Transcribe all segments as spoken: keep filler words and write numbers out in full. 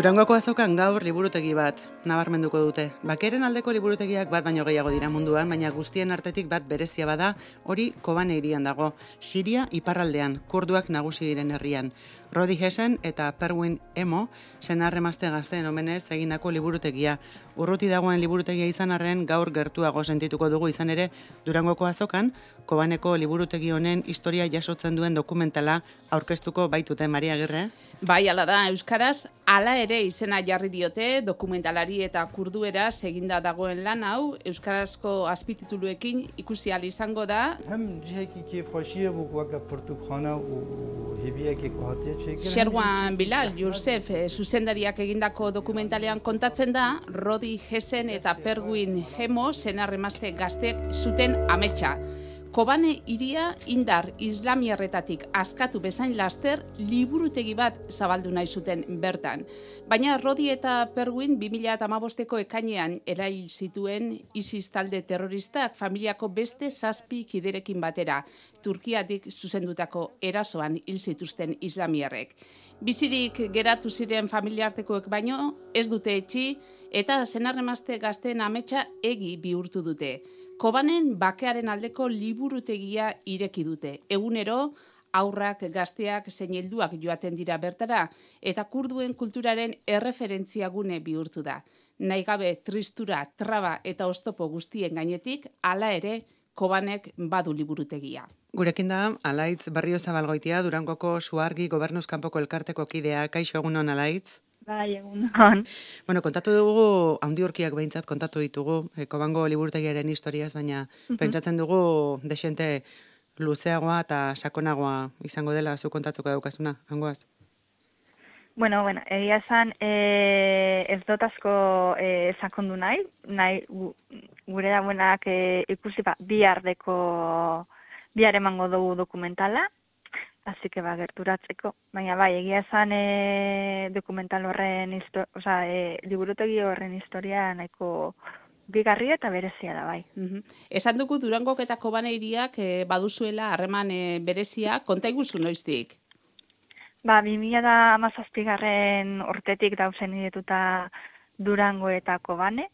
Durangoko azokan gaur liburutegi bat, nabarmenduko dute. Bakeren aldeko liburutegiak bat baino gehiago dira munduan, baina guztien artetik bat berezia bada, hori Kobane hirian dago, Siria iparraldean, kurduak nagusi diren herrian. Rodi Hessen eta Perwin Emo, senar-emazte gazteen omenez egindako liburutegia. Urruti dagoen liburutegia izan arren gaur gertuago sentituko dugu izan ere, Durangoko azokan, Kobaneko liburutegi honen historia jasotzen duen dokumentala aurkeztuko baitute, Maria Agirre. Bai, ala da, euskaraz, hala ere izena jarri diote dokumentalari eta kurdueraz eginda dagoen lan hau, euskarazko azpitituluekin ikusi ahal izango da. Sherwan Bilal, Youssef, zuzendariak egindako dokumentalean kontatzen da, Rodi Hessen eta Perwin Emo senar-emazte gazteek zuten ametsa. Kobane hiria indar islamiarretatik askatu bezain laster liburutegi bat zabaldu nahi zuten bertan. Baina Rodi eta Perwin bi mila hamabosteko ekainean erail zituen ISIS talde terroristak familiako beste zazpi kiderekin batera, Turkiatik zuzendutako erasoan hil zituzten islamiarrek. Bizirik geratu ziren familiartekoek baino ez dute etxi eta senar-emazte gazteen ametsa egi bihurtu dute. Kobanen bakearen aldeko liburutegia ireki dute. Egunero, aurrak, gazteak, zein helduak joaten dira bertara, eta kurduen kulturaren erreferentzia gune bihurtu da. Nahigabe tristura, traba eta oztopo guztien gainetik, hala ere, Kobanek badu liburutegia. Gurekin da, Alaitz Barriozabalgoitia, Durangoko Suargi Gobernuz Kanpoko elkarteko kidea. Kaixo, egunon, Alaitz? Bai, egunon. Bueno, kontatu dugu, handi urkiak behintzat kontatu ditugu, e, Kobango liburutegiaren historiaz, baina uh-huh. pentsatzen dugu desente luzeagoa eta sakonagoa izango dela, zu kontatuko daukazuna, hangoaz? Bueno, bueno, egia esan e, ez dut asko e, sakondu nahi, nahi gu, gure dagoenak e, ikusi ba, bihardeko, bihar emango dugu dokumentala, así que ba, gerturatzeko. Baina bai, egia esan e, dokumental horren, oza, e, liburutegi horren historia nahiko bigarria eta berezia da, bai. Uh-huh. Esan dugu Durangok eta Kobane hiriak e, baduzuela harreman e, berezia, konta iguzu noiztik? Ba, bi mila hamazazpigarren urtetik dauzen idetuta Durango eta Kobane.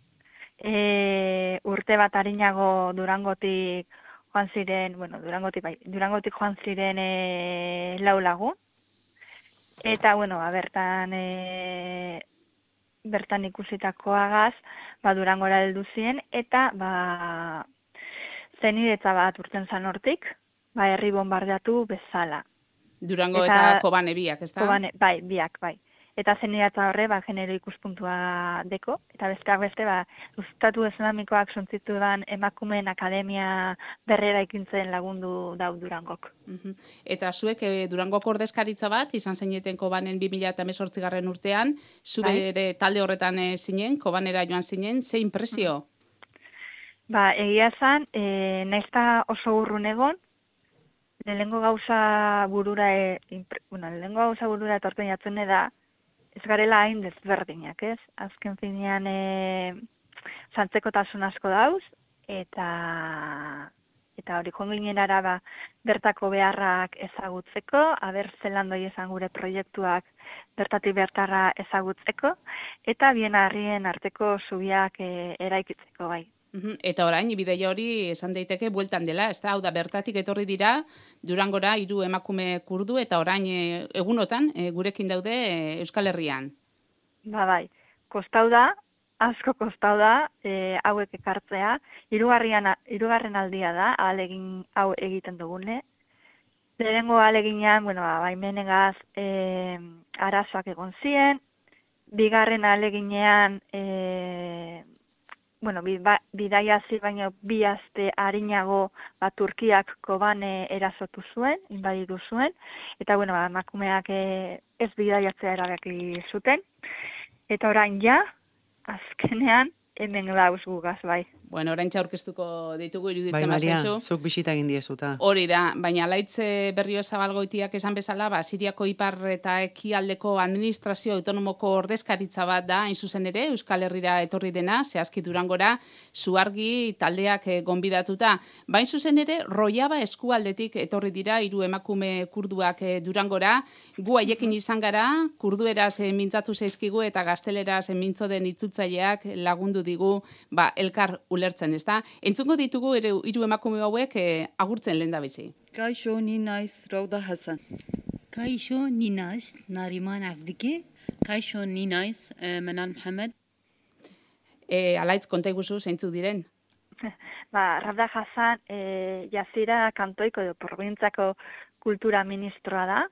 E, urte bat arinago Durangotik joan ziren, bueno, Durangotik, bai, Durangotik joan ziren e, lau lagun. Eta, bueno, ba, bertan, e, bertan ikusitakoagaz, ba, Durangora heldu ziren, eta, ba, zenidetza bat urten zan hortik, ba, herri bombardeatu bezala. Durango eta, eta Kobane biak, ez da? Kobane, bai, biak, bai. Eta zenidetza horre, ba, genero ikuspuntua deko, eta besteak beste, ba, Estatu Islamikoak suntzitudan emakumeen akademia berrera ikintzen lagundu dau Durangok. Uh-huh. Eta zuek e, Durangoko ordezkaritza bat, izan zineten Kobanen bi mila hemezortzigarren urtean, zure bai. Talde horretan e, zinen, Kobanera joan zinen, ze impresio? Ba, egia zan, e, naizta oso urrun egon, lehengo gauza burura, e, impre, bueno, lehengo gauza burura etorpen jatzen da, ez garela hain desberdinak, ez? Azken finean e, zantzekotasun asko dauz, eta eta hori joan ginen araba bertako beharrak ezagutzeko, aber zelan doi esan gure proiektuak bertatik bertarra ezagutzeko, eta bien harrien arteko zubiak e, eraikitzeko bai. Eta orain, bideia hori esan daiteke bueltan dela, ez da, hau da, bertatik etorri dira, Durangora hiru emakume kurdu, eta orain e, egunotan e, gurekin daude e, Euskal Herrian. Ba bai, kostau da, asko kostau da, e, hauek ekartzea, hirugarren hirugarren aldia da, ahalegin hau egiten dugune. Lehenengo ahaleginean, bueno, ba, baimenegaz e, arazoak egon ziren, bigarren ahaleginean, e, bueno, bidaia zi baino bi aste arinago ba, Turkiak Kobane erasotu zuen, inbaditu zuen, eta bueno, ba, emakumeak e, ez bidaiatzea erabaki zuten. Eta orain ja, azkenean, hemen dauz gugaz, bai. Bueno, oraintxe aurkeztuko ditugu iruditzen bai, Maria, bazaizu. zuk bisita egin diezuta. Hori da, baina Alaitze Berrio Zabalgoitiak esan bezala, ba, Siriako ipar eta ekialdeko administrazio autonomoko ordezkaritza bat da, hain zuzen ere, Euskal Herrira etorri dena, zehazki Durangora, Zuargi taldeak eh, gonbidatuta. Ba, hain zuzen ere, Rojava eskualdetik etorri dira, hiru emakume kurduak eh, Durangora, gu haiekin izan gara, kurdueraz eh, mintzatu zaizkigu eta gazteleraz eh, mintzo den itzutzaileak lagundu digu, ba, elkar ulertzen, ez da? Entzungo ditugu ere hiru emakume hauek eh, agurtzen lehen da bizi. Kaixo, ni naiz Rauda Hasan. Kaixo, ni naiz Nariman Afdiki. Kaixo, ni naiz eh, Menan Mohamed. E, Alaitz, konta iguzu zeintzuk diren? Ba, Rauda Hasan e, Jazira kantoiko edo probintzako kultura ministroa da.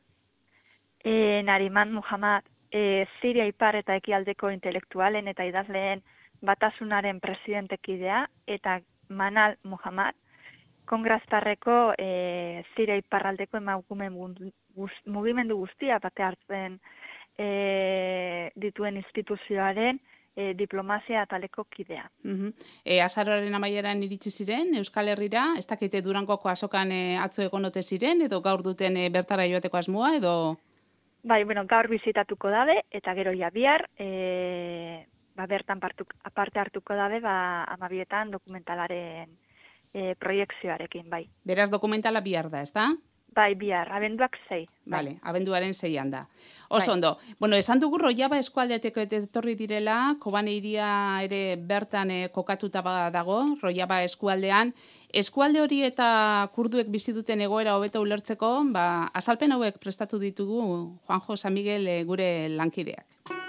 E, Nariman Muhammad e, Siria ipar eta ekialdeko intelektualen eta idazleen batasunaren presidentekidea, eta Manal Muhammad, kongrestarreko e, Siria iparraldeko emakume mugimendu guztia bate hartzen e, dituen instituzioaren e, diplomazia ataleko kidea. Uh-huh. E, azaroaren amaieran iritsi ziren, Euskal Herrira, ez dakite Durangoko azokan e, atzo egonote ziren, edo gaur duten e, bertara joateko asmoa, edo... Bai, bueno, gaur bizitatuko dabe, eta gero ja bihar, e, ba, bertan partuk, aparte hartuko dabe, ba, amabietan dokumentalaren e, proiekzioarekin, bai. Beraz, dokumentala bihar da, ez da? Bai, bihar, abenduak sei. Vale, abenduaren seian da. Oso bai. Ondo. Bueno, esan dugu Rojava eskualdeeteko etorri direla, Kobane hiria ere bertan e, kokatuta dago, Rojava eskualdean. Eskualde hori eta kurduek bizi duten egoera hobeto ulertzeko, ba, azalpen hauek prestatu ditugu Juanjo San Miguel e, gure lankideak.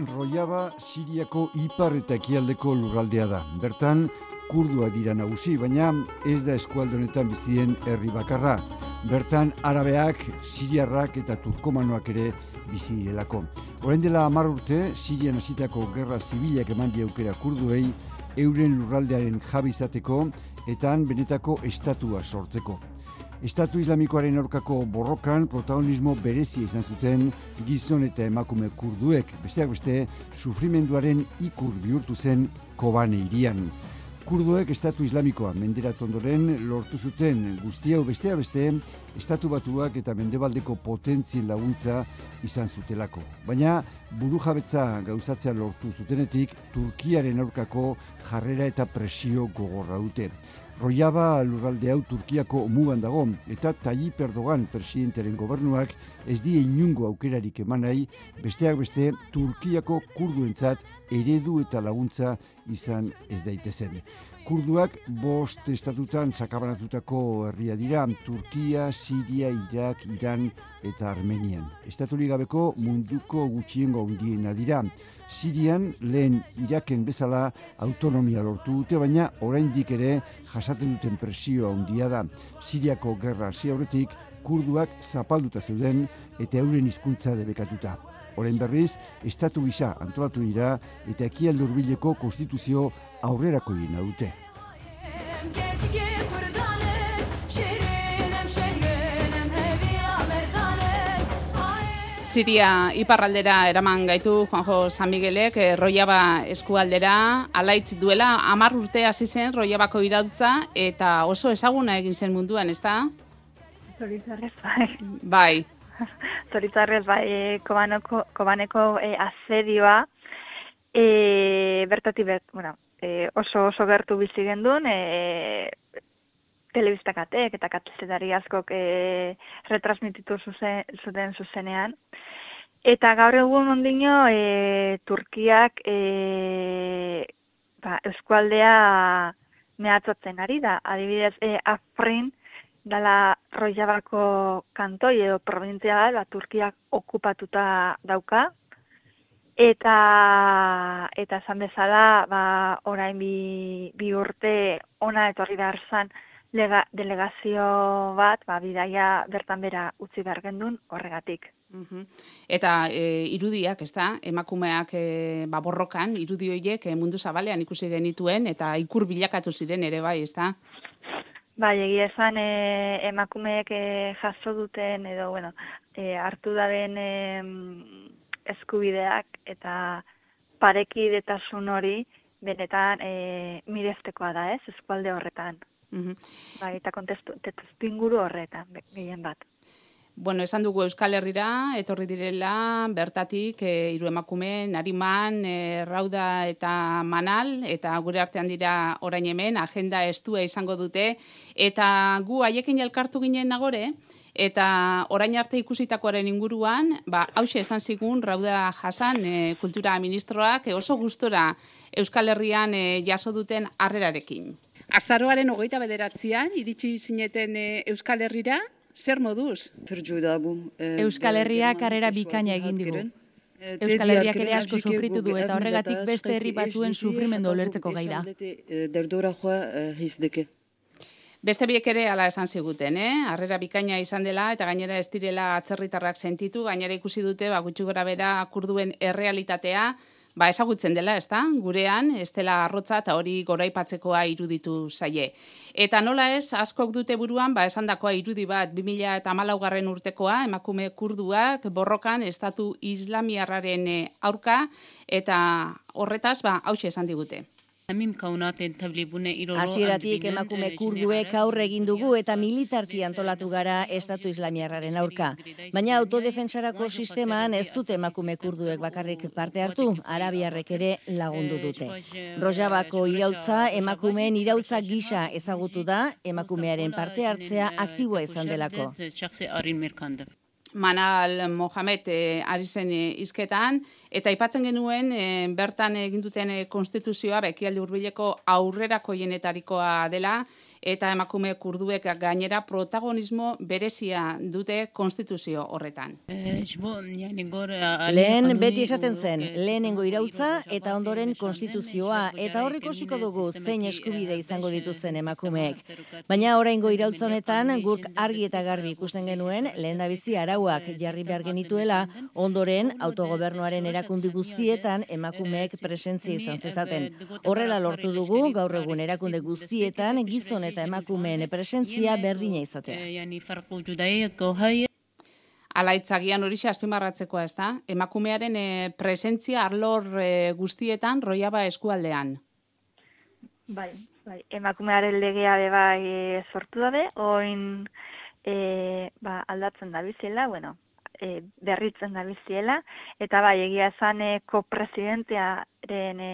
Rojava Siriako ipar eta ekialdeko lurraldea da. Bertan, kurduak dira nagusi, baina ez da eskualde honetan bizien herri bakarra. Bertan, arabeak, siriarrak eta turkomanoak ere bizi direlako. Orain dela hamar urte, Sirian hasitako gerra zibilak eman die aukera kurduei euren lurraldearen jabe izateko eta han benetako estatua sortzeko. Estatu Islamikoaren aurkako borrokan protagonismo berezia izan zuten gizon eta emakume kurduek, besteak beste sufrimenduaren ikur bihurtu zen Kobane hirian. Kurduek Estatu Islamikoa menderatu ondoren lortu zuten guzti hau besteak beste Estatu Batuak eta mendebaldeko potentzien laguntza izan zutelako. Baina burujabetza gauzatzea lortu zutenetik Turkiaren aurkako jarrera eta presio gogorra dute. Rojava lurralde hau Turkiako mugan dago eta Tayyip Erdogan presidentaren gobernuak ez die inungo aukerarik eman nahi, besteak beste Turkiako kurduentzat eredu eta laguntza izan ez daitezen. Kurduak bost estatutan sakabanatutako herria dira, Turkia, Siria, Irak, Iran eta Armenian. Estaturik gabeko munduko gutxiengo handiena dira. Sirian lehen Iraken bezala autonomia lortu dute, baina oraindik ere jasaten duten presio handia da. Siriako gerra hasi aurretik kurduak zapalduta zeuden eta euren hizkuntza debekatuta. Orain berriz, estatu gisa antolatu dira eta ekialde hurbileko konstituzio aurrerako dina dute. Siria iparraldera eraman gaitu Juanjo San Miguelek, eh, Rojava eskualdera, alaitz duela hamar urte hasi zen Rojavako irautza eta oso ezaguna egin zen munduan, ez da? Zoritzarrez, bai. Bai. Zoritzarrez, bai, e, Kobaneko, Kobaneko e, asedioa, e, bertatik bert, bueno, e, oso oso gertu bizi gendun, e, telebistakatek eta kazetari askok e, retransmititu zuzen, zuten zuzenean. Eta gaur egun ondino e, Turkiak e, ba, eskualdea mehatzatzen ari da. Adibidez, e, Afrin dala Rojavako kantoi edo provintzia bat, ba, Turkiak okupatuta dauka. Eta eta esan bezala, ba, orain bi, bi urte ona etorri behar zan Lega, delegazio bat, ba, bidaia bertan bera utzi behar gendun horregatik. Uh-huh. Eta e, irudiak, ez da, emakumeak e, ba, borrokan, irudi horiek e, mundu zabalean ikusi genituen, eta ikur bilakatu ziren ere bai, ez da? Bai, egia esan e, emakumeek e, jaso duten edo, bueno, e, hartu daben e, eskubideak eta parekidetasun hori benetan e, mireztekoa da, ez, eskualde horretan. Mhm. Bai, eta kontestu, testu inguru horretan, be- gehien bat. Bueno, esan dugu Euskal Herrira, etorri direla, bertatik, e, hiru emakume, Nariman, e, Rauda eta Manal, eta gure artean dira orain hemen, agenda estua izango dute, eta gu haiekin elkartu ginen nagore, eta orain arte ikusitakoaren inguruan, ba, hause esan zigun, Rauda Hasan, e, kultura ministroak, e, oso gustora Euskal Herrian e, jaso duten harrerarekin. Azaroaren hogeita bederatzean, iritsi zineten e, Euskal Herrira, zer moduz? Euskal Herriak harrera bikaina egin digu. Euskal Herriak ere asko sufritu du eta horregatik beste herri batzuen sufrimendu ulertzeko gai da. Beste biek ere hala esan ziguten, eh? Harrera bikaina izan dela eta gainera ez direla atzerritarrak sentitu, gainera ikusi dute ba gutxi gorabehera kurduen errealitatea, ba ezagutzen dela, ezta? Gurean ez dela arrotza eta hori goraipatzekoa iruditu zaie. Eta nola ez, askok dute buruan, ba esandakoa irudi bat bi mila hamalaugarren urtekoa, emakume kurduak borrokan estatu islamiarraren aurka eta horretaz ba hauxe esan digute. Hasieratik emakume kurduek aurre egin dugu eta militarki antolatu gara estatu islamiarraren aurka. Baina autodefentsarako sisteman ez dute emakume kurduek bakarrik parte hartu, arabiarrek ere lagundu dute. Rojavako irautza emakumeen irautza gisa ezagutu da, emakumearen parte hartzea aktiboa izan delako. Manal Mohamed e, ari zen e, hizketan, eta aipatzen genuen e, bertan egin duten e, konstituzioa bekialde hurbileko aurrerakoienetarikoa dela, eta emakume kurduek gainera protagonismo berezia dute konstituzio horretan. Lehen beti esaten zen, lehenengo irautza eta ondoren konstituzioa, eta hor ikusiko dugu zein eskubide izango dituzten emakumeek. Baina oraingo irautza honetan guk argi eta garbi ikusten genuen lehendabizi arauak jarri behar genituela, ondoren autogobernuaren erakunde guztietan emakumeek presentzia izan zezaten. Horrela lortu dugu gaur egun erakunde guztietan gizon eta emakumeen presentzia berdina izatea. Alaitzagian horixe azpimarratzekoa, ez da? Emakumearen e, presentzia arlor e, guztietan Rojava eskualdean. Bai, bai, emakumearen legea be bai e, sortu dabe, oin e, ba, aldatzen da bizela, bueno, e, berritzen da biziela, eta bai, egia esan e, kopresidentearen e,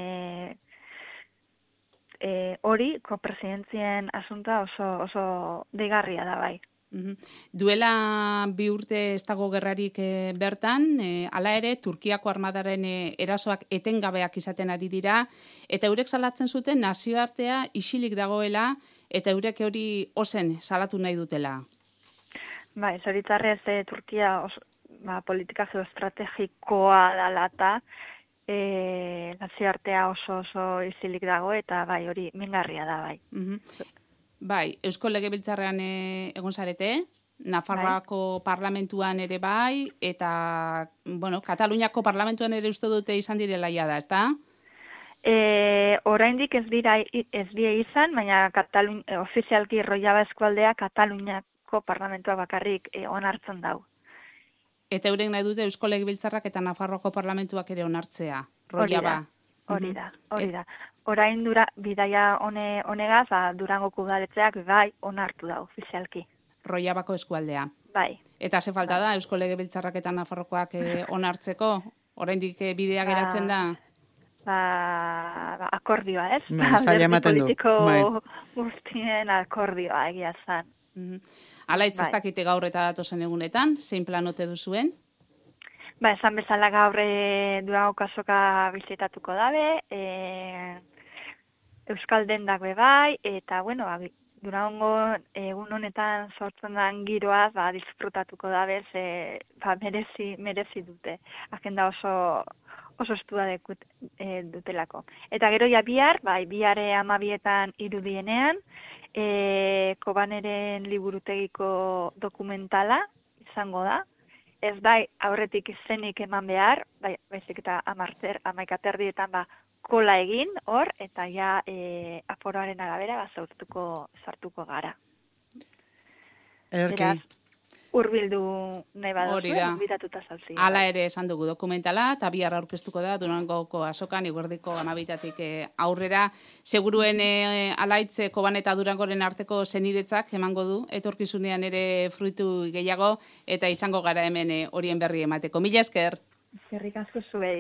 E, hori, kopresidentzien asunta oso, oso deigarria da bai. Uhum. Duela bi urte ez dago gerrarik e, bertan, e, hala ere, Turkiako armadaren e, erasoak etengabeak izaten ari dira, eta eurek salatzen zuten nazioartea isilik dagoela, eta eurek hori ozen salatu nahi dutela. Bai, zoritzarrez e, Turkia oso, ba, politika geoestrategikoa dalata, E, nazioartea oso oso izilik dago eta bai hori mingarria da bai. Uhum. Bai, Eusko Legebiltzarrean e, egon zarete, Nafarroako bai. Parlamentuan ere bai, eta bueno, Kataluniako parlamentuan ere uste dute izan direla jada, ezta? E, oraindik ez dira ez die izan, baina Katalun, e, ofizialki Rojava eskualdea Kataluniako parlamentua bakarrik e, onartzen dau. Eta eurek nahi dute Eusko Legebiltzarrak eta Nafarroako parlamentuak ere onartzea. Rojava. Hori da, hori da. Orain dura bidaia hone honegaz, ba, Durangoko udaletxeak bai onartu da ofizialki. Rojavako eskualdea. Bai. Eta ze falta da Eusko Legebiltzarrak eta Nafarroakoak eh, onartzeko? Oraindik eh, bidea ba, geratzen da? Ba, ba akordioa, ez? Ba, zaila ematen du. Politiko guztien akordioa egia zan. Ala hitz ez dakite gaur eta datozen egunetan, zein planote duzuen? Ba, esan bezala gaur e, Durango kasoka bizitatuko dabe, e, Euskal dendak be bai, eta bueno, ba, Durango egun honetan sortzen den giroaz, ba, disfrutatuko dabe, ze, ba, merezi, merezi dute. Agenda oso oso estua dekut, e, dutelako. Eta gero ja bihar, bai, bihare amabietan irudienean, E, Kobaneren liburutegiko dokumentala izango da. Ez da aurretik izenik eman behar, bai, baizik eta amarter, amaikaterdietan ba, kola egin hor, eta ja e, aforoaren arabera ba, sartuko, sartuko gara. Ederki. Beraz, hurbildu nahi Hori badazue, da. gonbidatuta zauzi. Hala ere esan dugu dokumentala, eta bihar aurkeztuko da Durangoko azokan, iguerdiko amabitatik eh, aurrera. Seguruen eh, alaitze Koban eta Durangoren arteko zeniretzak emango du, etorkizunean ere fruitu gehiago, eta izango gara hemen eh, horien berri emateko. Mila esker! Eskerrik asko zuei.